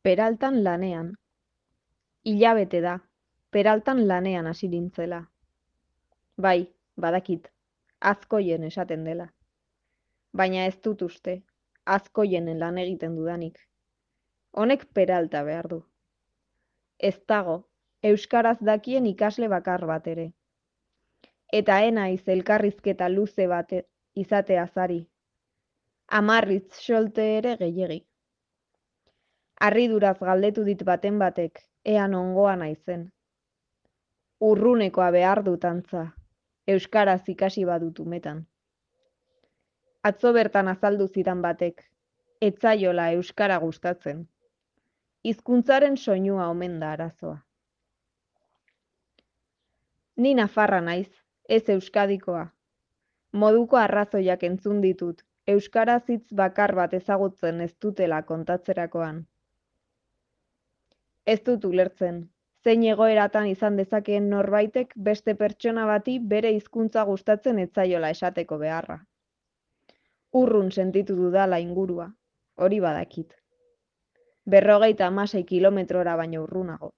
Peraltan lanean. Hilabete da, Peraltan lanean hasi nintzela. Bai, badakit, azkoien esaten dela. Baina ez dut uste, azkoien lan egiten dudanik. Honek Peralta behar du. Ez dago, euskaraz dakien ikasle bakar bat ere. Eta enaiz elkarrizketa luze bat izateaz ari. 10 hitz solte ere gehiegi. Harriduraz galdetu dit baten batek, ea nongoa naizen. Urrunekoa behar dut antza, euskaraz ikasi badut umetan. Atzo bertan azaldu zidan batek, ez zaiola euskara gustatzen. Hizkuntzaren soinua omen da arazoa. Ni nafarra naiz, ez euskadikoa. Moduko arrazoiak entzun ditut, euskaraz hitz bakar bat ezagutzen ez dutela kontatzerakoan. Ez dut ulertzen, zein egoeratan izan dezakeen norbaitek beste pertsona bati bere hizkuntza gustatzen ez zaiola esateko beharra. Urrun sentitu dudala ingurua, hori badakit. 56 kilometrora baino urrunago.